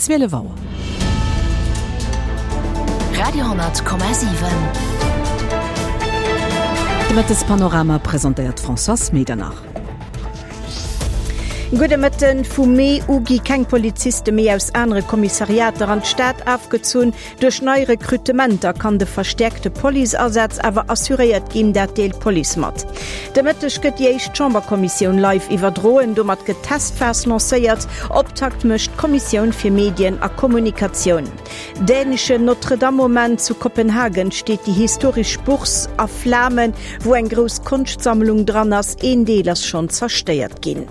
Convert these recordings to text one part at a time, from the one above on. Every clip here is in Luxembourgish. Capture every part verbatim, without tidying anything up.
Zwielef Auer. Radio hundert Komma siwen. De Mëttespanorama presentéiert d'Françoise Medernach. Gudde Mëtten. Vu Mee u gi keng Poliziste méi aus anere Kommissariater an d'Stad afgezunn. Duerch nei Rekrutementer kann de verstäerkte Policeasaz awer assuréiert ginn, dat deelt d'Police mat. De Mëtteg gëtt déi éischt Chamberkommissioun live iwwerdroen. Domat gëtt d'Testphas lancéiert. Optakt mécht d'Kommissioun fir Medien a Kommunikatioun. Däneschen Notre-Dame-Moment, Zu Kopenhagen steet déi historesch Bourse a Flamen, wou eng grouss Konschtsammlung dran ass. Een Deel ass schonn zerstéiert ginn.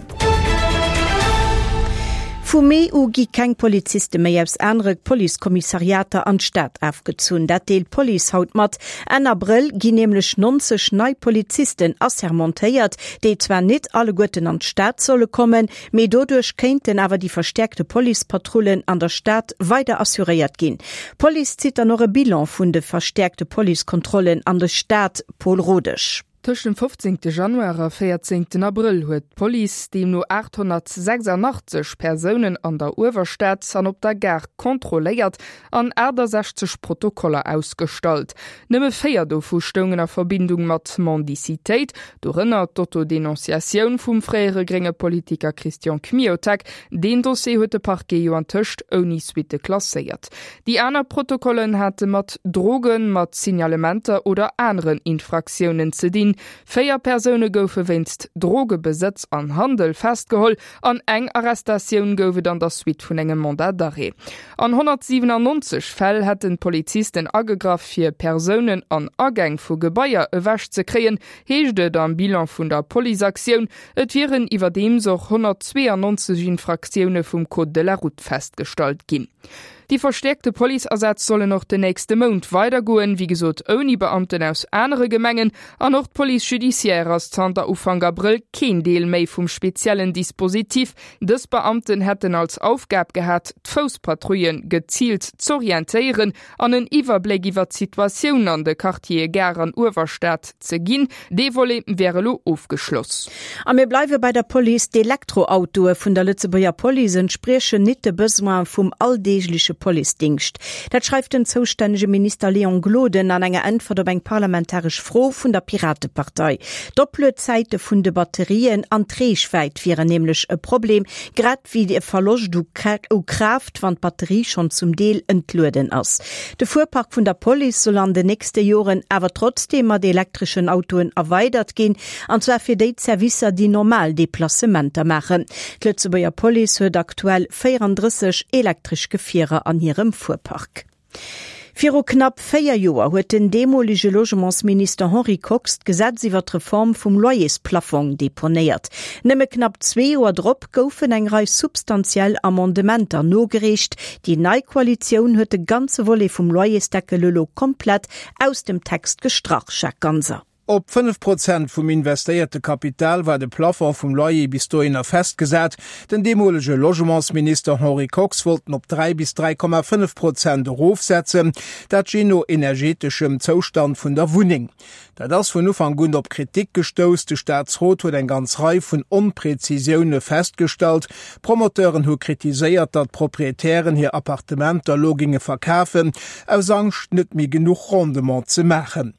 Vu Mee u gi keng Poliziste méi aus anere Policekommissariater an d'Stad afgezunn. Dat deelt d'Police haut mat. Enn Abrëll ginn nämlech neunzeg nei Polizisten assermentéiert, déi zwar net alleguerten an d'Stad solle kommen, mee doduerch kéinten awer déi verstäerkte Policepatrullen an der Stad weider assuréiert ginn. D'Police zitt dann och e Bilan vun de verstäerkte Policekontrollen an der Stad, Paul Rodesch. Tëscht dem fofzéngte Januar a véierzéngten Abrëll huet d'Police deemno aathonnertsechsandachtzeg Persounen an der Uewerstad an op der Gare kontrolléiert an aachtasechzeg Protokoller ausgestallt. Nëmme véier dovu stoungen a Verbindung mat Mendicitéit, dorënner d'Autodenonciatioun vum fréiere grénge Politiker Christian Kmiotek. Deen Dossier huet de Parquet jo antëscht ouni Suitte klasséiert. Déi aner Protokollen hate mat Drogen, mat Signalementer oder aneren Infraktiounen ze dinn. Véier Persoune goufe wéinst Drogebesëtz an Handel festgeholl an eng Arrestatioun gouf et an der Suite vun engem Mandat d'arrêt. An honnertsiwenannonzeg Fäll hätten d'Polizisten agegraff, fir Persounen an Agäng vu Gebaier ewech ze kréien, heescht et am Bilan vun der Policeaktioun. Et wieren iwwerdeems och honnertzweeanonzeg Infraktioune vum Code de la route festgestallt ginn. Déi verstäerkte Policeasätz sollen och den nächste Mount weidergoen, wéi gesot ouni Beamten aus anere Gemengen. An och d'Police judiciaire ass zanter Ufank Abrëll keen Deel méi vum speziellen Dispositif. Dës Beamten hätten als Aufgab gehat, d'Fousspatrouillen geziilt z'orientéieren an en Iwwerbléck iwwer d'Situatioun an de Quartiere Gare an Uewerstad ze ginn. Dee Volet wär elo ofgeschloss. A mir bleiwe bei der Police, D'Elektroautoe vun der Lëtzebuerger Police entspriechen nit de Besoine vum alldeegleche Policedingscht. Dat schreift den zoustännege Minister Léon Gloden an enger Äntwert op eng parlamentaresch Fro vun der Piratepartei. D'Opluedzäite vun de Batterien an d'Reechwäit wieren nämlech e Problem, grad wéi de Verloscht u Kraaft, wann d'Batterie schonn zum Deel entlueden ass. De Fuerpark vun der Police soll an den nächste Joren awer trotzdeem mat elektreschen Autoen erweidert ginn, an zwar fir déi Servicer, déi normal Deplacementer maachen. D'Lëtzebuerger Police huet aktuell véierandrësseg elektresch Gefierer an hirem Fuerpark. Viru knapp véier Joer huet den deemolege Logementsminister Henri Kox d'Gesetz iwwer d'Reform vum Loyersplafong deponéiert. Nëmme knapp zwee Joer drop goufen eng Rei substantiell Amendementer nogereecht. Déi nei Koalitioun huet de ganze Volet vum Loyersdeckel elo komplett aus dem Text gestrach, Jacques Ganser. Op fënnef Prozent vum investéierte Kapital war de Plafond vum Loyer bis dohinner festgesat. Den deemolege Logementsminister Henri Kox wollt en op dräi bis dräi Komma fënnef Prozent erofsetzen, dat jee no energeteschem Zoustand vun der Wunneng. Dat ass vun Ufank un op Kritik gestouss. De Staatsrot huet eng ganz Rei vun Onprezisioune festgestallt. Promoteuren hu kritiséiert, datt Proprietären hir Appartementer elo géinge verkafen, aus Angscht net méi genuch Rendement ze maachen.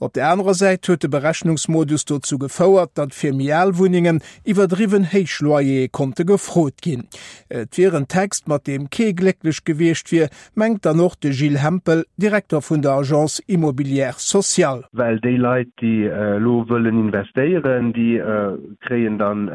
Op der anerer Säit huet de Berechnungsmodus dozou gefouert, datt fir méi al Wunnengen iwwerdriwwen héich Loyere konnte gefrot ginn. Et wier en Text, mat deem kee glécklech gewiescht wier, mengt dann och de Gilles Hempel, Direkter vun der Agence Immobilière Sociale. Well déi Leit, déi elo wëllen investéieren, déi kréien dann,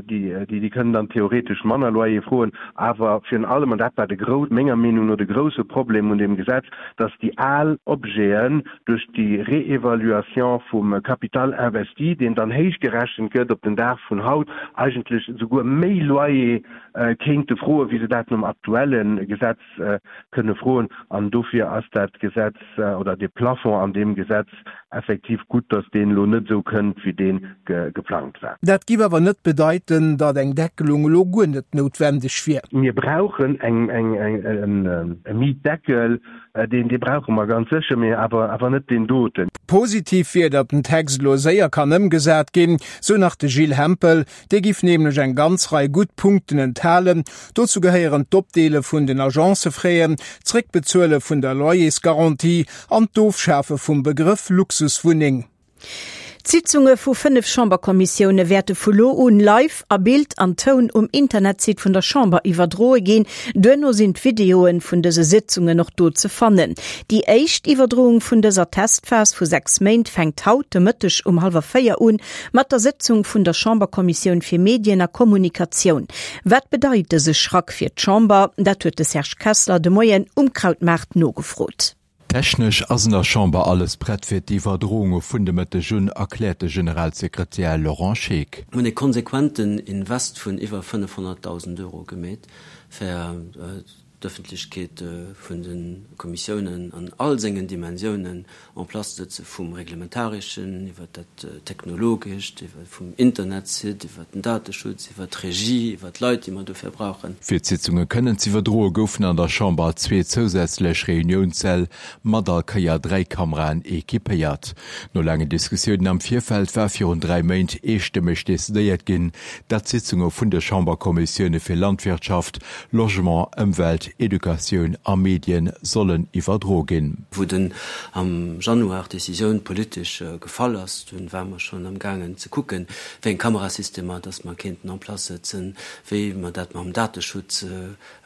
déi, déi kënnen dann theoretesch manner Loyer froen. Awer virun allem, an dat war de grou, menger Meenung no de grousse Problem un deem Gesetz, datt déi al Objeten duerch déi Réévaluation vum Capital investi, deen dann héich gerechent gëtt op den Dag vun haut, eigentlech esouguer méi Loyer kéinte froen, wéi se dat nom aktuelle Gesetz kënne froen. An dofir ass dat Gesetz oder dee Plafond an deem Gesetz effektiv gutt, datt deen elo net esou kënnt, wéi dee geplangt war. Dat giff awer net bedeiten, datt eng Deckelung elo guer net noutwendeg wier. Mir brauchen e Mietdeckel, Deen, dee brauche mer ganz sécher, mee awer, awer net deen doten. Positiv wier, datt den Text elo séier kann ëmgesat ginn, sou nach de Gilles Hempel. Dee giff nämlech eng ganz Rei gutt Punkten enthalen. Dozou gehéieren d'Opdeele vun den Agencefraien, d'Zréckbezuele vun der Loyersgarantie an d'Ofschafe vum Begrëff Luxuswunneng. D'Sitzunge vu fënnef Chamberkommissioune wäerte vu lo un live a Bild an Toun um Internetsite vun der Chamber iwwerdroe ginn. Duerno sinn d'Videoe vun dëse Sitzungen och do ze fannen. Déi éischt Iwwerdroung vun dëser Testphas vu sechs Méint fänkt haut de Mëtteg um hallwer véier un mat der Sëtzung vun der Chamberkommissioun fir Medien a Kommunikatioun. Wat bedeit dëse Schrack fir d'Chamber? Dat huet de Serge Kessler de Moien um Krautmaart nogefrot. Technesch ass an der Chamber alles prett fir d'Iwwerdrounge vun de Mëtteg un, erkläert de Generalsekretär Laurent Scheeck. Mir hunn e konsequenten Invest vun iwwer fënnefhonnertdausend Euro gemeet, fir d'Ëffentlechkeet vun de Kommissiounen an all sengen Dimensiounen en place ze sëtzen, vum Reglementareschen iwwer dat Technologescht, iwwer vum Internetsite, iwwer den Dateschutz, iwwer d'Regie, iwwer d'Leit, déi mer dofir brauchen. Fir d'Sitzunge kënnen z'iwwerdroe goufen an der Chamber zwee zousätzlech Reuniounssäll mat all Kéier dräi Kameraen equipéiert. No laangen Diskussiounen am Virfeld war virun dräi Méint eestëmmeg decidéiert ginn, datt d'Sitzunge vun de Chamberkommissioune fir Landwirtschaft, Logement, Ëmwelt, Educatioun a Medien sollen iwwerdroe ginn. Wou den am Januar d'Decisioun politesch gefall ass, dunn ware mer schonn am gaangen ze kucken, wéi eng Kamerasystemer dass mer kéinten en place sëtzen, wéi mer dat mam Dateschutz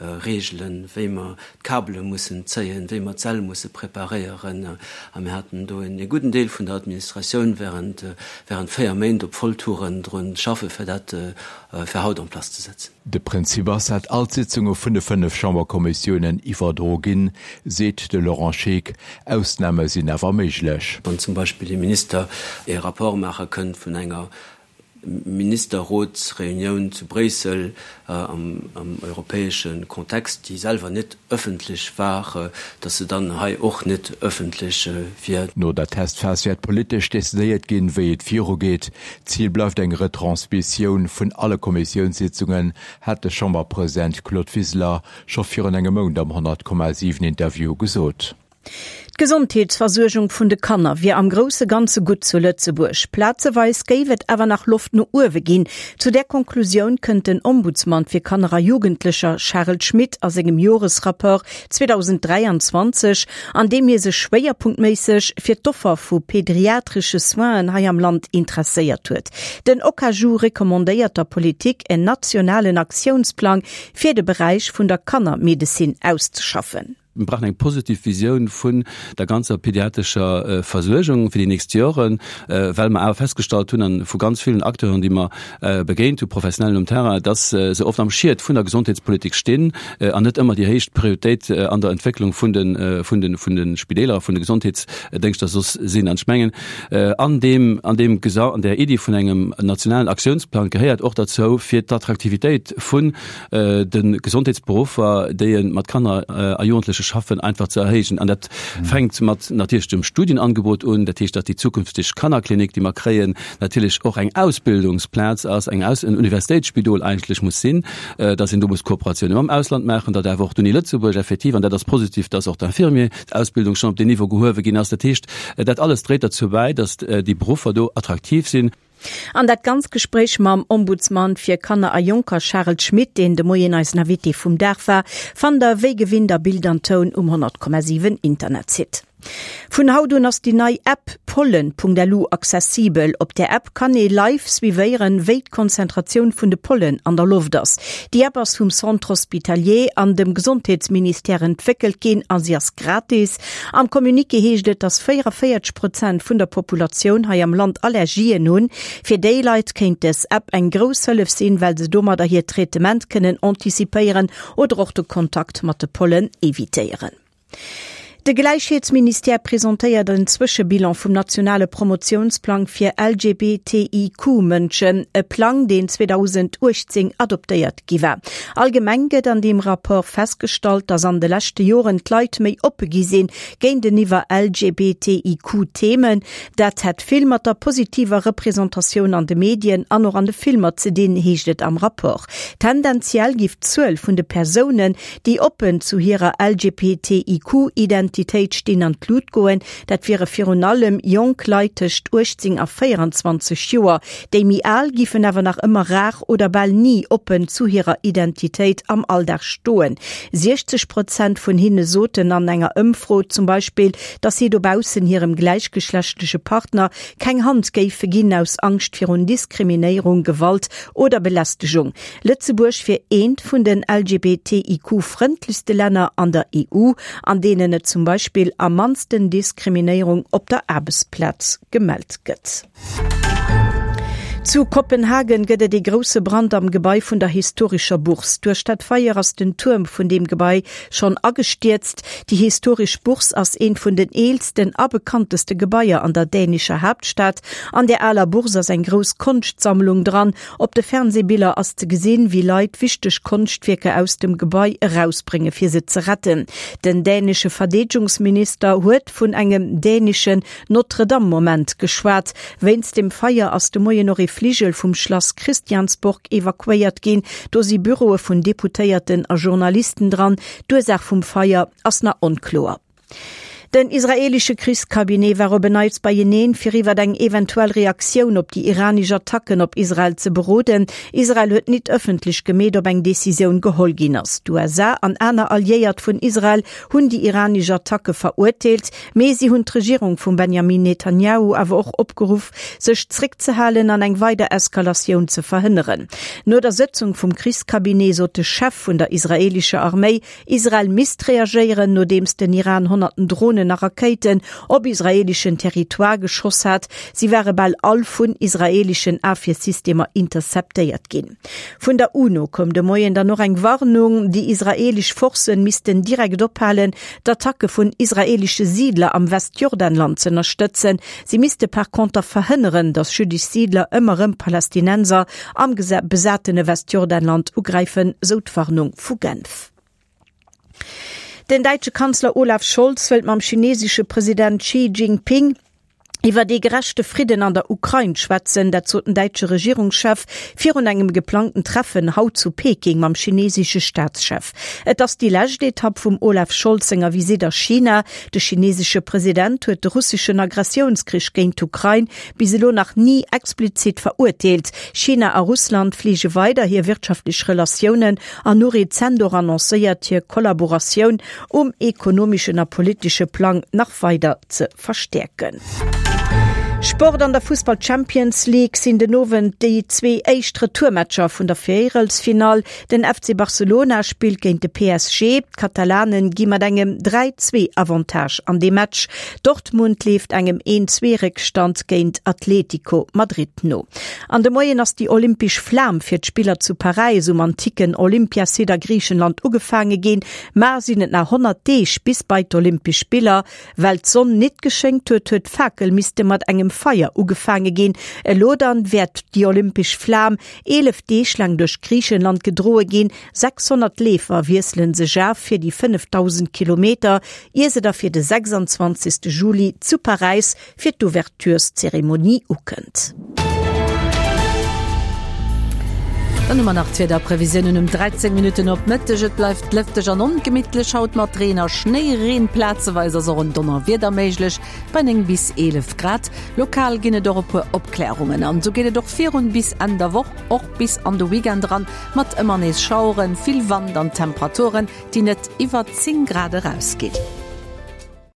regelen, wéi mer d'Kabele mussen zéien, wéi mer d'Säll musse preparéieren. A mir haten do e gudden Deel vun der Administratioun während während véier Méint op Volltouren drun schaffe fir dat fir haut en place ze setzen. De Prinzip ass, dat all d'Sitzunge vun de fënnef Chamberkommissiounen iwwerdroe ginn, seet de Laurent Scheeck. Ausname sinn awer méiglech. Wann zum Beispill ee Minister ee Rapport maache kënnt vun enger Ministerrotsreunioun zu Bréissel am europäesche Kontext, déi selwer net ëffentlech war, datt se dann hei och net ëffentlech wier. No der Testphas wäert politesch decidéiert ginn, wéi et virugeet. Zil bleift eng Retransmissioun vun alle Kommissiounssitzungen, hat de Chamberpresident Claude Wiseler scho virun engem Mount am honnert Komma siwen Interview gesot. D'Gesondheetsversuergung vun de Kanner wier am grousse Ganze gutt zu Lëtzebuerg. Plazeweis géif et awer nach Loft no uewe ginn. Zu där Konklusioun kënnt den Ombudsman fir Kanner a Jugendlecher Charel Schmit a sengem Joresrapport zweedausenddräianzwanzeg, an deem hie sech schwéierpunktméisseg fir d'Offer vu pedriatresche Soinen hei am Land interesséiert huet. Den OKaJu recommandéiert der Politik, en nationalen Aktiounsplang fir de Beräich vun der Kannermedezin auszeschaffen. Mir brauchen eng positiv Visioun vun der ganzer pediatrescher Versuergung fir déi nächst Joren, well mer awer festgestallt hunn, an vu ganz villen Acteuren, déi mer begéint hu, Professionellen um Terrain, dass se oft am Schiet vun der Gesondheetspolitik stinn an net ëmmer déi héicht Prioritéit an der Entwécklung vun de, vun de, vun de Spideeler a vun de Gesondheetsdéngschter soss sinn. An ech mengen, an deem, an deem, an där Iddi vun engem nationalen Aktiounsplang gehéiert och derzou, fir d'Attraktivitéit vun de Gesondheetsberuffer, déi mat Kanner a Jugendleche schaffen, einfach ze erhéijen. An dat fänkt mat natierlech dem Studienangebot un, dat heescht, datt déi zukünfteg Kannerklinik, déi mer kréien, natierlech och eng Ausbildungsplaz ass, eng Aus-, en Universitéitsspidol eigentlech muss sinn, datt een do muss Kooperatioune mam Ausland maachen, datt awer och d'Uni Lëtzebuerg effektiv, an dat ass positiv, datt och d'Infirmier-Ausbildung schonn op deen Niveau gehuewe ginn ass. Dat heescht, dat alles dréit derzou bäi, datt déi Beruffer do attraktiv sinn. An dat ganz Gespréich mam Ombudsman fir Kanner a Jonker Charel Schmit, deen de Moien eisen Invité vum Dag war, fannt der wéi gewinnt a Bild an Toun um honnert Komma siwen Internetsite. Vun haut un ass déi nei App pollen.lu accessibel. Op där App kann ee live suivéieren, wéi d'Konzentratioun vun de Pollen an der Loft ass. Déi App ass vum Centre Hospitalier an dem Gesondheetsministère entwéckelt ginn a si ass gratis. Am Communiqué heescht et, dass véierunvéierzeg Prozent vun der Populatioun hei am Land Allergien hunn. Fir déi Leit kéint dës App eng grouss Hëllef sinn, well se domadder hiert Traitement kënnen antizipéieren oder och de Kontakt mat de Pollen evitéieren. De Gläichheetsministère presentéiert en Zwëschebilan vum nationale Promotiounsplang fir L G B T I Q Mënschen, e Plang, deen zweedausenduechtzéng adoptéiert gi war. Allgemeng gëtt an deem Rapport festgestallt, datt an de leschte Joren d'Leit méi oppe gi sinn géinteniwwer L G B T I Q Themen. Dat hätt vill mat der positiver Representatioun an de Medien an och an de Filmer ze dinn, heescht et am Rapport. Tendenziell giff d'Zuel vun de Persounen, déi oppen zu hirer L G B T I Q Identitéit Identitéit stinn an d'Lut goen. Dat wiere virun allem jonk Leit tëscht uechtzéng a véieranzwanzeg Joer. Déi méi al giffen awer nach ëmmer rar oder bal ni oppen zu hirer Identitéit am Alldag stoen. siechzeg Prozent vun hinne soten an enger Ëmfro zum Beispill, datt si dobaussen hirem gläichgeschlechtleche Partner keng Hand géife ginn aus Angscht virun Diskriminéierung, Gewalt oder Belästegung. Lëtzebuerg wier eent vun den L G B T I Q frëndlechste Länner an der E U, an deenen et zum Beispill am mannsten Diskriminéierung op der Aarbechtsplaz gemellt gëtt. Zu Kopenhagen gëtt et ee grousse Brand am Gebai vun der historescher Bourse. Duerch dat Feier ass den Tuerm vun deem Gebai schonn agestierzt. Déi historesch Bourse ass eent vun den eelsten a bekannteste Gebaier an der dänescher Haaptstad. An der aler Bourse ass eng grouss Konschtsammlung dran. Op de Fernsehbiller ass ze gesinn, wéi Leit wichteg Konschtwierker aus dem Gebai erausbrénge fir se ze retten. Den dänesche Verdeedegungsminister huet vun engem däneschen Notre-Dame-Moment geschwat. Wéinst dem Feier ass de Moien och ee Fligel vum Schlass Christiansborg evakuéiert ginn. Do si Büroe vun Deputéierten a Journalisten dran. D'Ursaach vum Feier ass nach onkloer. Den israeelesche Krichscabinet war op en Neits beieneen, fir iwwer eng eventuell Reaktioun op déi iranesch Attacken op Israel ze beroden. Israel huet net ëffentlech gemeet, ob eng Decisioun geholl ginn ass. D'U S A an aner Alliéiert vun Israel hunn déi iranesch Attacke verurteelt, mee si hunn d'Regierung vum Benjamin Netanjahu awer och opgeruff, sech zréckzehalen an eng weider Eskalatioun ze verhënneren. No der Sëtzung vum Krichscabinet sot de Chef vun der israeelescher Arméi, Israel misst reagéieren, nodeems den Iran honnerten Dronen a Rakéiten op israeeleschen Territoire geschoss hat. Si ware bal all vun israeeleschen Ofwiersystemer interceptéiert ginn. Vun der UNO koum de Moien dann nach eng Warnung, déi israeelesch Forcen missten direkt ophalen, d'Attacke vun israeelesche Siidler am Westjordanland ze ënnerstëtzen. Si misste par konter verhënneren, datt jüddesch Siidler ëmmer erëm Palästinenser am besatene Westjordanland ugräifen, sou d'Warnung vu Genf. Den däitsche Kanzler Olaf Scholz wëllt mam chinesesche President Xi Jinping iwwer ee gerechte Fridden an der Ukrain schwätzen, dat sot den däitsche Regierungschef virun engem geplangten Treffen haut zu Peking mam chinesesche Staatschef. Et ass déi lescht Etapp vum Olaf Scholz senger Visitt a China. De chinesesche President huet de russeschen Agressiounskrich géint d'Ukrain bis elo nach ni explizit verurteelt. China a Russland fleege weider hir wirtschaftlech Relatiounen an hu rezent och annoncéiert, hir Kollaboratioun um ekonomeschen a politesche Plang nach weider ze verstäerken. Sport An der Fussball Champions League sinn den Owend déi zwee éischt Retourmatcher vun der Véierelsfinall. Den F C Barcelona spillt géint de P S G. D'Katalanen gi mat engem dräi zwee Avantage an de Match. Dortmund leeft engem een zwee Réckstand géint Atletico Madrid no. An de Moien ass déi olympesch Flam fir d'Spiller zu Paräis um antiken Olympiasite a Griichenland ugefaange ginn. Mar sinn et nach honnert Deeg bis bei d'Olympesch Spiller. Well d'Sonn net geschéngt huet, huet d'Fakel misste mat engem Feier ugefaange ginn. Elo dann wäert déi olympesch Flam eelef Deeg laang duerch Griichenland gedroe ginn. sechshonnert Leefer wiesselen sech of fir déi fënnefdausend Kilometer, ier se da fir de sechsanzwanzegste Juli zu Paräis fir d'Ouvertureszeremonie ukënnt. Dann hu mer nach d'Wiederprevisiounen um dräizéng Minutten op Mëtteg. Et bleift lëfteg an ongemittlech haut mat Reen a Schnéireen. Plazeweis ass och en Donnerwieder méiglech bei néng bis eelef Grad. Lokal ginn et och e puer Opklärungen. An esou geet et och virun bis Enn der Woch, och bis an de Weekend eran, mat ëmmer nees Schaueren, vill Wand an Temperaturen, déi net iwwer zéng Grad erausginn.